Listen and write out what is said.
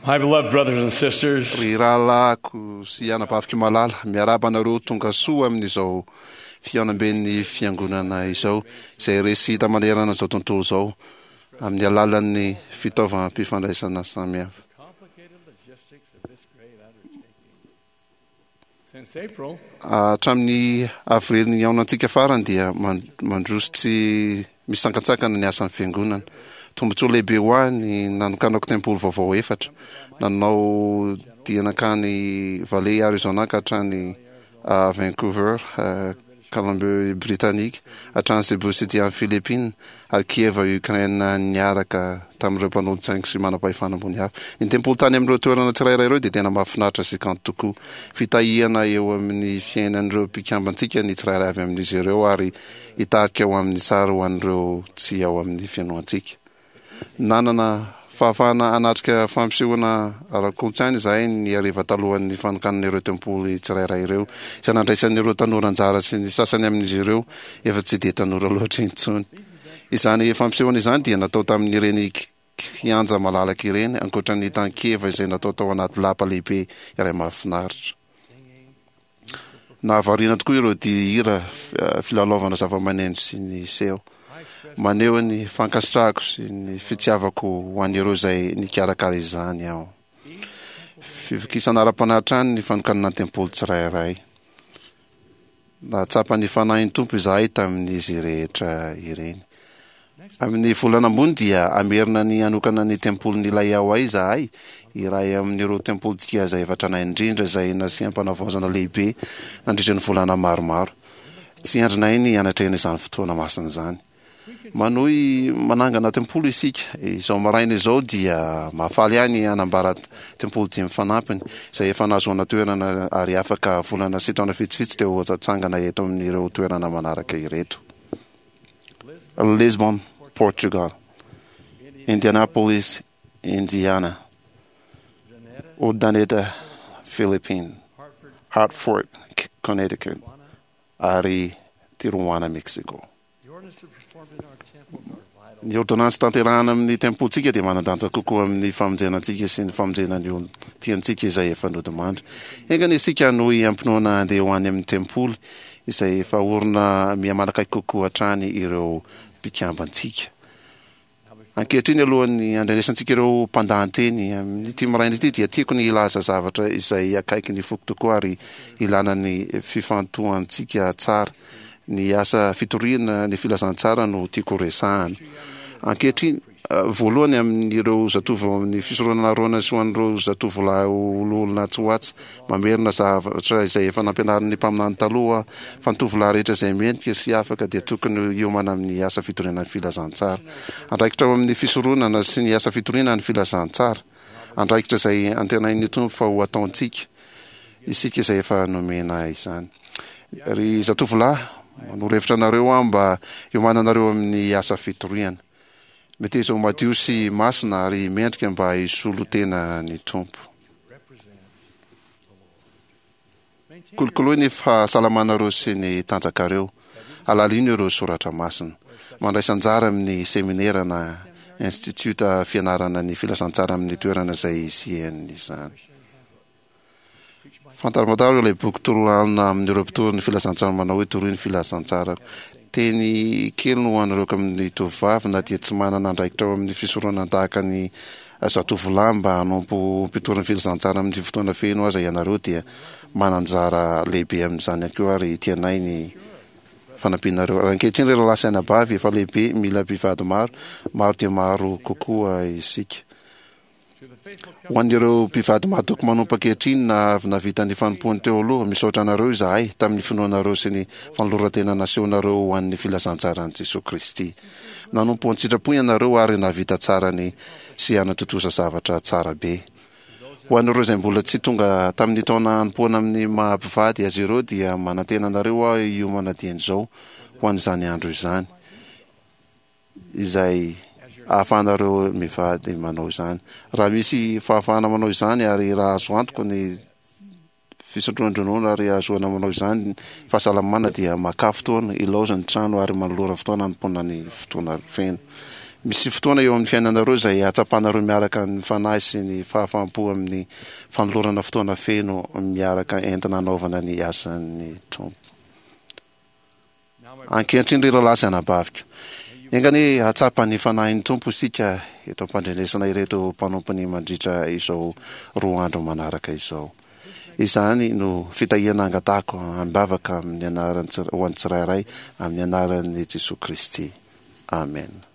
My beloved brothers and sisters, Ry rahalahiko sy anabaviko malala, miarahaba anareo tonga soa amin'izao fihaonamben'ny Fiangonana izao, izay re sy hita manerana izao tontolo izao amin'ny alalan'ny fitaovam-pifandraisana samihafa. Since April, Hatramin'ny avrily nihaonantsika farany dia mandroso tsy misy sankantsakana ny asan'ny Fiangonana. Tombontsoa lehibe ho ahy ny nanokanako tempoly vaovao efatra. Nanao dia nankany Valley, Arizona ka hatrany Vancouver, Colombie Britannique, hatrany Cebu City any Philippines, ary Kiev, Ukraine niaraka tamin'ireo mpanolotsaingo sy manam-pahefana ambony hafa. Ny tempoly tany amin'ireo toerana tsirairay ireo dia tena mahafinaritra sy kanto tokoa. Fitahiana eo amin'ny fiainan'ireo mpikambantsika ny tsirairay avy amin'izy ireo ary hitarika ho amin'ny tsara ho an'ireo tsy ao amin'ny fianoantsika. Nanana fahafahana hanatrika fampisehoana ara-kolontsaina izahay ny hariva talohan'ny fanokanana ireo tempoly tsirairay ireo, izay nandraisan'ireo tanora anjara sy ny sasany amin'izy ireo efa tsy dia tanora loatra intsony. Izany fampisehoana izany dia natao tamin'ireny kianja malalaka ireny, ankoatra ny tany Kiev izay natao tao anaty lapa lehibe iray mahafinaritra. Nahavariana tokoa ireo dihy hira filalaovana zavamaneno sy ny seho. Maneho ny fankasitrahako sy ny fitiavako ho an'ireo izay nikarakara izany aho. Fivokisana ara-panahy hatrany ny fanokanana ny tempoly tsirairay. Nahatsapa ny Fanahin'ny Tompo izahay tamin'izy rehetra ireny. Amin'ny volana ambony dia hamerina ny hanokana ny tempolin'i Lahiawai izahay, iray amin'ireo tempolintsika izay efa tranainy indrindra izay nasiam-panavaozana lehibe nandritra ny volana maromaro. Tsy andrinay ny hanatrehana izany fotoana masina izany. Manohy manangana tempoly isika. Izao maraina izao dia mahafaly ahy ny hanambara tempoly dimy fanampiny, izay efa nahazoana toerana ary afaka volana sy taona vitsivitsy dia ho atsangana eto amin'ireo toerana manaraka ireto. Lisbon, Portugal. Indianapolis, Indiana. Urdaneta, Philippines. Hartford, Connecticut. Ary Tijuana, Mexico. Ny ôrdônansy tanterahana amin'ny tempolintsika dia manan-danja kokoa amin'ny famonjena antsika sy ny famonjena ny olon-tiantsika izay efa nodimandry. Enga anie isika hanohy am-pinoana handeha ho any amin'ny tempoly izay efa orina miha-manakaiky kokoa hatrany ireo mpikambantsika. Ankehitriny, alohan'ny handrenesantsika ireo mpandahan-teny amin'ity maraina ity, dia tiako ny hilaza zavatra izay akaiky ny foko tokoa ary ilana ny fifantohantsika tsara. Ny asa fitoriana ny filazantsara no tiako horesahana. Ankehitriny, voalohany amin'ireo zatovo ao amin'ny fisoronana Arona sy ho an'ireo zatovolahy ho loholona atsy ho atsy, Mamerina zavatra izay efa nampianarin'ny mpaminany taloha aho, fa ny tovolahy rehetra izay mendrika sy afaka dia tokony hiomana amin'ny asa fitoriana ny filazantsara. Andraikitra ao amin'ny fisoronana sy ny asa fitoriana ny filazantsara. Andraikitra izay antenain'ny Tompo fa ho ataontsika, isika izay efa nomena izany. Ry zatovolahy, manoro hevitra anareo aho mba hiomananareo amin'ny asa fitoriana. Meteza ho madio sy masina ary mendrika mba hisolo tena ny Tompo. Kolokoloy ny fahasalamanareo sy ny tanjakareo. Alalino ireo soratra masina. Mandraisa anjara amin'ny seminera na institiota fianarana ny filazantsara amin'ny toerana izay hisian'izany. Fantaromantaro ilay boky torolalana amin'ireo mpitory ny filazantsara manao hoe Toroy ny filazantsara. Teny kely no ho an'ireo amin'ny tovovavy na dia tsy manana andraikitra ao amin'ny fisoronana tahaka ny zatovolahy mba hanompo ho mpitory ny filazantsara amin'ny fotoana feno aza ianareo dia manan-jara lehibe amin'izany ihany koa ary tianay ny fanampianareo. Ary ankehitriny ry rahalahy sy anabavy efa lehibe mila mpivady maro, maro dia maro kokoa isika. Ho an'ireo mpivady mahatoky manompo ankehitriny na avy nahavita ny fanompoany teo aloha, misaotra anareo izahay tamin'ny finoanareo sy ny fanoloran-tena nasehonareo ho an'ny filazantsaran'i Jesoa Kristy. Nanompo an-tsitrapo ianareo ary nahavita tsara ny sy hanatontosa zavatra tsara be. Ho an'ireo izay mbola tsy tonga tamin'ny taona hanompoana amin'ny maha mpivady azy ireo dia manantena anareo aho hiomana dieny izao ho an'izany andro izany. izay ahafahanareo mivady manao izany. Raha misy fahafahana manao izany ary raha azo antoka ny fisotroan-dronono ary ahazoana manao izany fahasalamana dia makà fotoana, ilaozy ny trano ary manolora fotoana hanompoana ny fotoana feno. Misy fotoana eo amin'ny fiainanareo izay hahatsapanareo miaraka ny Fanahy sy ny fahafaham-po amin'ny fanolorana fotoana feno miaraka entina hanaovana ny asan'ny Tompo. Ankehitriny ry rahalahy sy anabaviko, enga anie hahatsapa ny Fanahin'ny Tompo isika eto am-pandrenesana ireto mpanompony mandritra izao roa andro manaraka izao. Izany no fitahiana angatahako am-bavaka amin'ny anaran'ny ho an'ny tsirairay amin'ny anaran'i Jesoa Kristy. Amena.